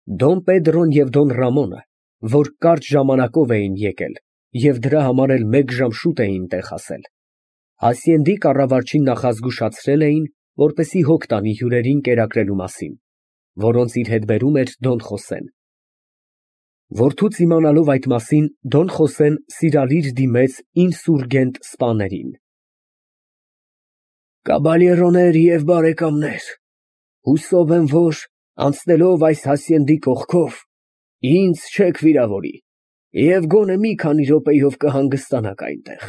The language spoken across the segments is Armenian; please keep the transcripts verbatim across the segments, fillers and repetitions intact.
Դոն Պեդրոն և Դոն Ռամոնը, որ կարճ ժամանակով էին եկել և դրա համար էլ մեկ ժամ շուտ էին տեղ հասել, Հասյենդի կառավարչին նախազգուշացրել էին, որպեսզի հոգ տանի հյուրերին կերակրելու մասին, որոնց իր հետ բերում էր Դոն Խոսեն։ Որդուց իմանալով այդ մասին, Դոն Խոսեն սիրալիր դիմեց ինսուրգենտ սպաներին։ Կաբալերոներ և բարեկամներ, հուսով եմ, որ անցնելով այս Հասյենդի կողքով, ինձ չեք վիրավորի և գոնե մի քանի րոպեով կհանգստանաք այնտեղ։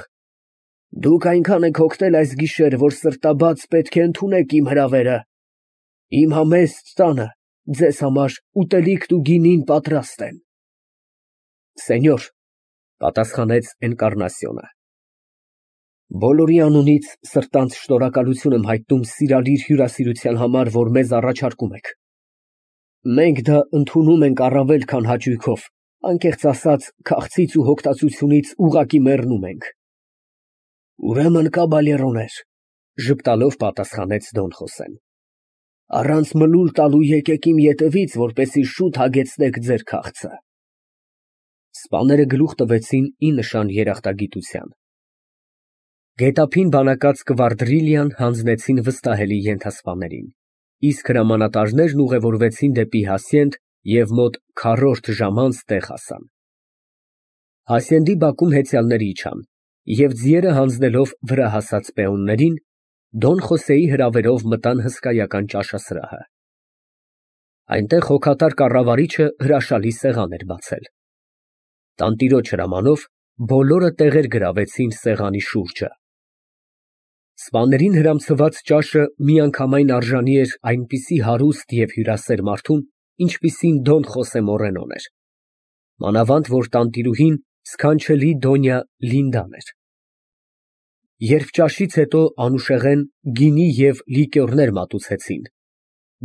Դուք այնքան եք հոգնել այս գիշեր, որ սրտաբաց պետք է ընդունեք իմ հրավերը։ Իմ համեստ տանը ձեզ համար ուտելիքն ու գինին պատրաստ են։ Սենյոր, պատասխանեց Էնկառնասիոնը, բոլորի անունից սրտանց շնորհակալություն եմ հայտնում սիրալիր հյուրասիրության համար, որ մեզ առաջարկում եք։ Մենք դա ընդունում ենք առավել քան հաճույքով, անկեղծ ասած, քաղցից ու հոգտածությունից ուղղակի մեռնում ենք։ Ուրեմն, կաբալերոներ, ժպտալով պատասխանեց Դոն Խոսեն, առանց մլուլ տալու եկեք իմ ետևից, որպեսզի շուտ հագեցնեք ձեր քաղցը։ Սպաները գլուխ տվեցին ի նշան երախտագիտության։ Գետափին բանակած կվարդրիլիան հանձնեցին վստահելի ենթասպաներին, իսկ հրամանատարներն ուղևորվեցին դեպի Հասյենդ և մոտ քառորդ ժամ անց տեղ հասան։ Հասյենդի բակում հեծյալները իջան, և ձիերը հանձնելով վրա հասած պեոններին, Դոն Խոսեի հրավերով մտան հսկայական ճաշասրահը։ Այնտեղ հոգատար կառավարիչը հրաշալի սեղան էր բացել։ Տանտիրոջ հրամանով բոլորը տեղեր գրավեցին սեղանի շուրջը։ Սպաներին հրամցված ճաշը միանգամայն արժանի էր այնպիսի հարուստ և հյուրասեր մարդուն, ինչպիսին Դոն Խոսե Մորենոն էր, մանավանդ որ տանտիրուհին սքանչելի Դոնյա Լինդան էր։ Երբ ճաշից հետո անուշեղեն գինի և լիկյորներ մատուցեցին,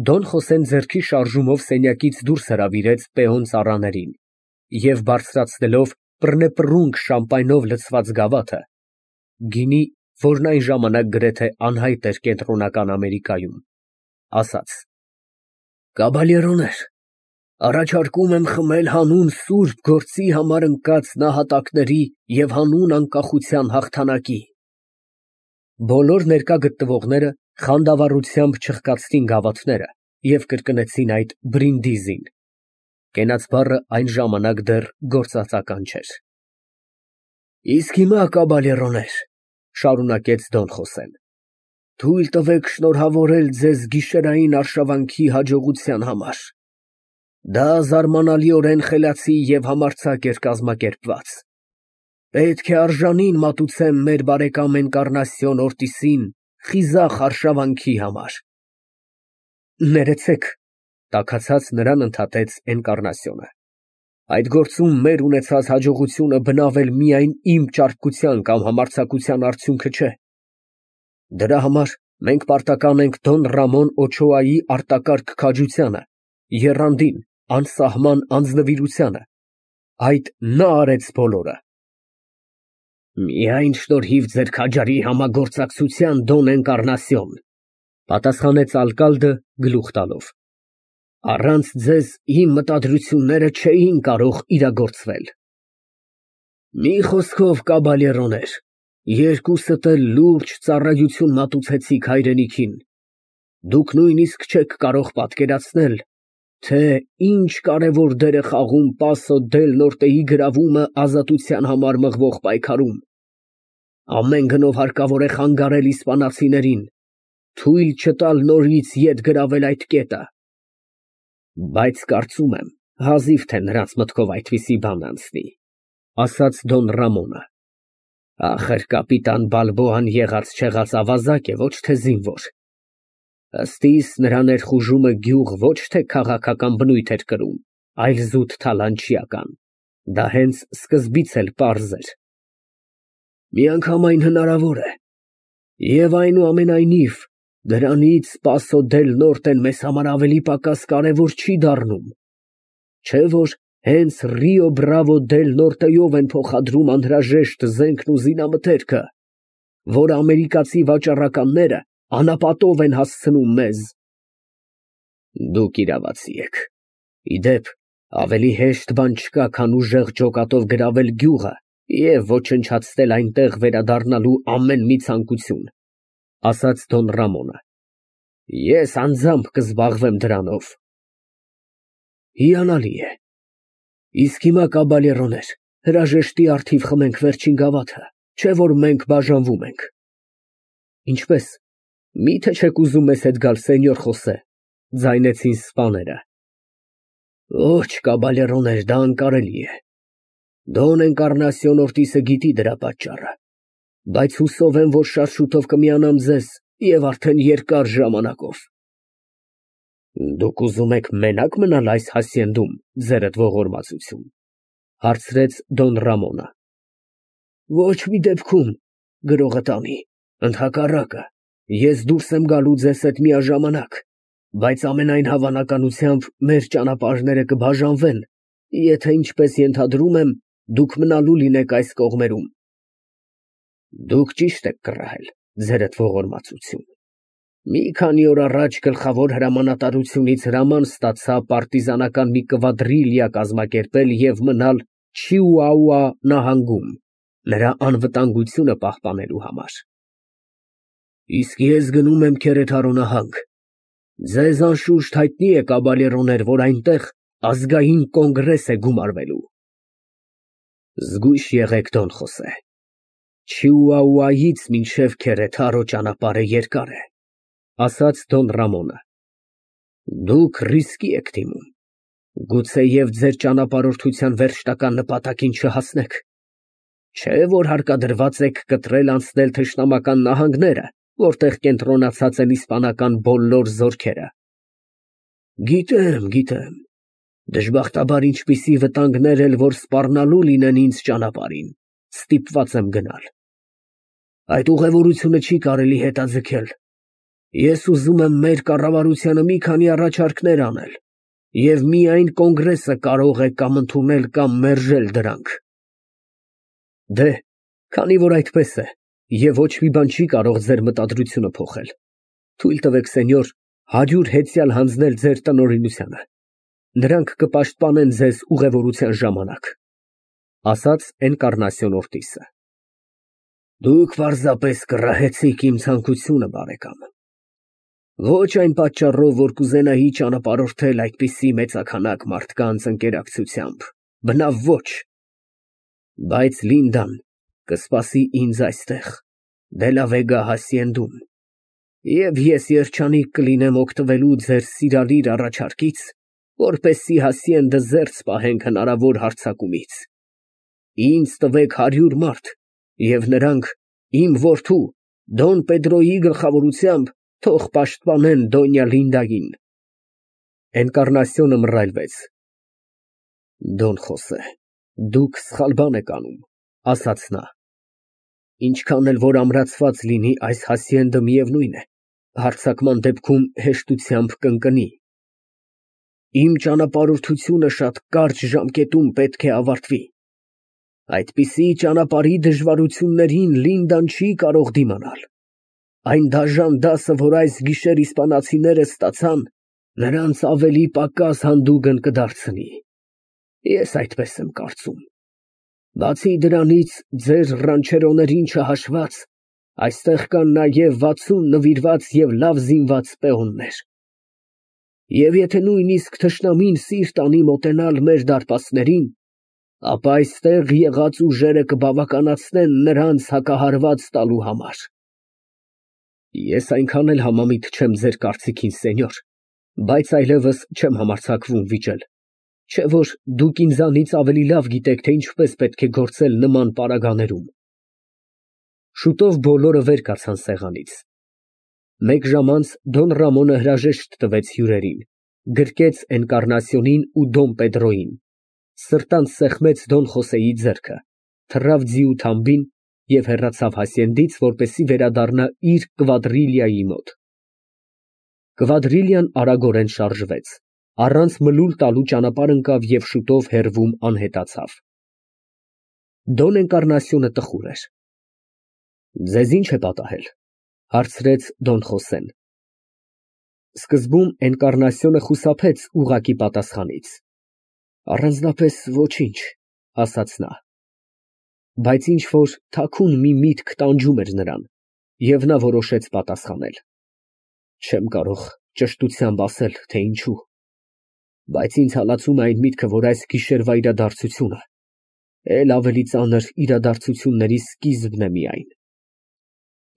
Դոն Խոսեն ձեռքի շարժումով սենյակից դուրս հրավիրեց պեոն ծառաներին և բարձրացնելով պռնեպռունգ շամպայնով լցված գավաթը (գինի, որն այն ժամանակ գրեթե անհայտ էր Կենտրոնական Ամերիկայում), ասաց. Կաբալերոներ, առաջարկում եմ խմել հանուն սուրբ գործի համար ընկած նահատակների և հանուն անկախության հաղթանակի։ Բոլոր ներկա գտնվողները խանդավառությամբ չխկացրին գավաթները և կրկնեցին այդ բրինդիզին (կենաց բառը այն ժամանակ դեռ գործածական չէր)։ Իսկ հիմա, կաբալերոներ, շարունակեց Դոն Խոսեն, թույլ տվեք շնորհավորել ձեզ գիշերային արշավանքի հաջողության համար։ Դա զարմանալիորեն խելացի և համարձակ էր կազմակերպված։ Պետք է արժանին մատուցեմ մեր բարեկամ Էնկառնասիոն Օրտիսին խիզախ արշավանքի համար։ Ներեցեք, տաքացած նրան ընդհատեց Էնկառնասիոնը, այդ գործում մեր ունեցած հաջողությունը բնավ էլ միայն իմ ճարպկության կամ համարձակության արդյունքը չէ։ Դրա համար մենք պարտական ենք Դոն Ռամոն Օչոայի արտակարգ քաջությանը, եռանդին, անսահման անձնվիրությանը։ Այդ նա արեց բոլորը։ Միայն շնորհիվ ձեր քաջարի համագործակցության, Դոն Էնկառնասիոն, պատասխանեց ալկալդը գլուխ տալով, առանց ձեզ իմ մտադրությունները չէին կարող իրագործվել։ Մի խոսքով, կաբալերոներ, երկուսդ էլ լուրջ ծառայություն մատուցեցիք հայրենիքին։ Դուք նույնիսկ չեք կարող պատկերացնել, թե ինչ կարևոր դեր է խաղում Պասո դել Նորտեի գրավումը ազատության համար մղվող պայքարում։ Ամեն գնով հարկավոր է խանգարել իսպանացիներին, թույլ չտալ նորից ետ գրավել այդ կետը։ Բայց կարծում եմ, հազիվ թե նրանց մտքով այդպիսի բան անցնի, ասաց Դոն Ռամոնը։ Ախր կապիտան Բալբոան եղած֊չեղած ավազակ է, ոչ թե զինվոր։ Ըստ իս, նրա ներխուժումը գյուղ ոչ թե քաղաքական բնույթ էր կրում, այլ զուտ թալանչիական։ Դա հենց սկզբից էլ պարզ էր։ Միանգամայն հնարավոր է։ Եվ այնուամենայնիվ, դրանից Պասո դել Նորտեն մեզ համար ավելի պակաս կարևոր չի դառնում։ Չէ՞ որ հենց Ռիո Բրավո դել Նորտեյով են փոխադրում անհրաժեշտ զենքն ու զինամթերքը, որ ամերիկացի վաճառականները անապատով են հասցնում մեզ։ Դուք իրավացի եք։ Իդեպ, ավելի հեշտ բան չկա, քան ուժեղ ջոկատով գրավել գյուղը և ոչնչացնել այնտեղ վերադառնալու ամեն մի ցանկություն, ֊ ասաց Դոն Ռամոնը։ Ես անձամբ կզբաղվեմ դրանով։ Հիանալի է։ Իսկ հիմա, կաբալերոներ, հրաժեշտի առթիվ խմենք վերջին գավաթը, չէ՞ որ մենք բաժանվում ենք։ Ինչպե՞ս, մի՞թե չեք ուզում մեզ հետ գալ, սենյոր Խոսե, ֊ ձայնեցին սպաները։ Ոչ, կաբալերոներ, դա անկարելի է։ Դոն Էնկառնասիոն Օրտիսը գիտի դրա պատճառը, բայց հուսով եմ, որ շատ շուտով կմիանամ ձեզ և արդեն երկար ժամանակով։ Դուք ուզում եք մենա՞կ մնալ այս հասցենդում, ձերդ ողորմածություն, ֊ հարցրեց Դոն Ռամոնը։ Ոչ մի դեպքում, գրողը տանի, ընդհակառակը, ես դուրս եմ գալու ձեզ հետ միաժամանակ, բայց ամենայն հավանականությամբ մեր ճանապարհները կբաժանվեն, եթե, ինչպես ենթադրում եմ, դուք մնալու լինեք այս կողմերում։ Դուք ճիշտ եք կռահել, ձերդ ողորմածություն։ Մի քանի օր առաջ գլխավոր հրամանատարությունից հրաման ստացա պարտիզանական մի կվադրիլիա կազմակերպել և մնալ Չիուաուա նահանգում, նրա անվտանգությունը պահպանելու համար։ Իսկ ես գնում եմ Քերեթարո նահանգ։ Ձեզ անշուշտ հայտնի է, կաբալերոներ, որ այնտեղ ազգային կոնգրես է գումարվելու։ Զգույշ եղեք, Դոն Խոսե, Չիուաուայից մինչև Քերեթարո ճանապարհը երկար է, ֊ ասաց Դոն Ռամոնը։ Դուք ռիսկի եք դիմում, գուցեև ձեր ճանապարհորդության վերջնական նպատակին չհասնեք, չէ՞ որ հարկադրված եք կտրել անցնել թշնամական նահանգները, որտեղ կենտրոնացած են իսպանական բոլոր զորքերը։ Գիտեմ, գիտեմ, դժբախտաբար ինչպիսի վտանգներ էլ որ սպառնալու լինեն ինձ ճանապարհին, ստիպված եմ գնալ։ Այդ ուղևորությունը չի կարելի հետաձգել։ Ես ուզում եմ մեր կառավարությանը մի քանի առաջարկներ անել, և միայն կոնգրեսը կարող է կամ ընդունել, կամ մերժել դրանք։ Դե, քանի որ այդպես է, և ոչ մի բան չի կարող ձեր մտադրությունը փոխել, թույլ տվեք, սենյոր, հարյուր հեծյալ հանձնել ձեր տնօրինությանը, նրանք կպաշտպանեն ձեզ ուղևորության ժամանակ, ֊ ասաց Էնկառնասիոն Օրտիսը։ Դուք պարզապես կռահեցիք իմ ցանկությունը, բարեկամ։ Ոչ այն պատճառով, որ կուզենայի ճանապարհորդել այդպիսի մեծաքանակ մարդկանց ընկերակցությամբ, բնավ ոչ, բայց Լինդան կսպասի ինձ այստեղ, Դելավեգա հասցենդում, և ես երջանիկ կլինեմ օգտվելու ձեր սիրալիր առաջարկից, որպեսզի հասցենդը զերծ պահենք հնարավոր հարձակումից։ Ինձ տվեք հարյուր մարդ, և նրանք իմ որդու Դոն Պեդրոյի գլխավորությամբ թող պաշտպանեն Դոնյա Լինդային։ Էնկառնասիոնը մռայլվեց։ Դոն Խոսե, դուք սխալ բան եք անում, ֊ ասաց նա։ Ինչքան էլ որ ամրացված լինի այս հասցենդը, միևնույն է, հարձակման դեպքում հեշտությամբ կընկնի։ Իմ ճանապարհորդությունը շատ կարճ ժամկետում պետք է ավարտվի։ Այդպիսի ճանապարհի դժվարություններին Լինդան չի կարող դիմանալ։ Այն դաժան դասը, որ այս գիշեր իսպանացիները ստացան, նրանց ավելի պակաս հանդուգն կդարձնի։ Ես այդպես եմ կարծում։ Բացի դրանից, ձեր ռանչերոներին չհաշված, այստեղ կան նաև վաթսուն նվիրված և լավ զինված պեոններ։ Եվ եթե նույնիսկ թշնամին սիրտ անի մոտենալ մեր դարպասներին, ապա այստեղ եղած ուժերը կբավականացնեն նրանց հակահարված տալու համար։ Ես այնքան էլ համամիտ չեմ ձեր կարծիքին, սենյոր, բայց այլևս չեմ համարձակվում վիճել, չէ՞ որ դուք ինձանից ավելի լավ գիտեք, թե ինչպես պետք է գործել նման պարագաներում։ Շուտով բոլորը վեր կացան սեղանից։ Մեկ ժամ անց Դոն Ռամոնը հրաժեշտ տվեց հյուրերին, գրկեց Էնկառնասիոնին ու Դոն Պեդրոյին, սրտանց սեղմեց Դոն Խոսեի ձեռքը, թռավ ձիու թամբին և հեռացավ հասցենդից, որպեսզի վերադառնա իր կվադրիլիայի մոտ։ Կվադրիլիան արագորեն շարժվեց, առանց մլուլ տալու ճանապարհ ընկավ և շուտով հեռվում անհետացավ։ Դոն Էնկառնասիոնը տխուր էր։ Ձեզ ի՞նչ է պատահել, ֊ հարցրեց Դոն Խոսեն։ Սկզբում Էնկառնասիոնը խուսափեց ուղղակի պատասխանից։ Առանձնապես ոչինչ, ասաց նա։ Բայց ինչ֊որ թաքուն մի միտք տանջում էր նրան, և նա որոշեց պատասխանել. Չեմ կարող ճշտությամբ ասել, թե ինչու, բայց ինձ հալածում է այն միտքը, որ այս գիշերվա իրադարձությունը էլ ավելի ծանր իրադարձությունների սկիզբն է միայն։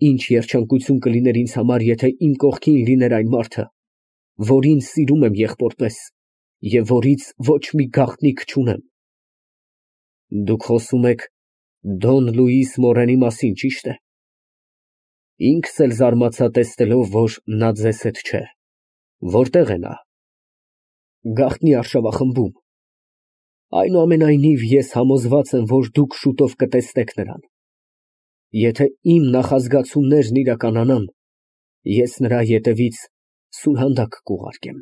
Ինչ երջանկություն կլիներ ինձ համար, եթե իմ կողքին լիներ այն մարդը, որին սիրում եմ եղբորպես և որից ոչ մի գաղտնիք չունեմ։ Դուք խոսում եք Դոն Լուիս Մորենի մասին, ճի՞շտ է։ Ինքս էլ զարմացա, տեսնելով, որ նա ձեզ հետ չէ։ Որտե՞ղ է նա։ Գաղտնի արշավախմբում։ Այնուամենայնիվ, ես համոզված եմ, որ դուք շուտով կտեսնեք նրան։ Եթե իմ նախազգացումներն իրականանան, ես նրա ետևից սուրհանդակ կուղարկեմ։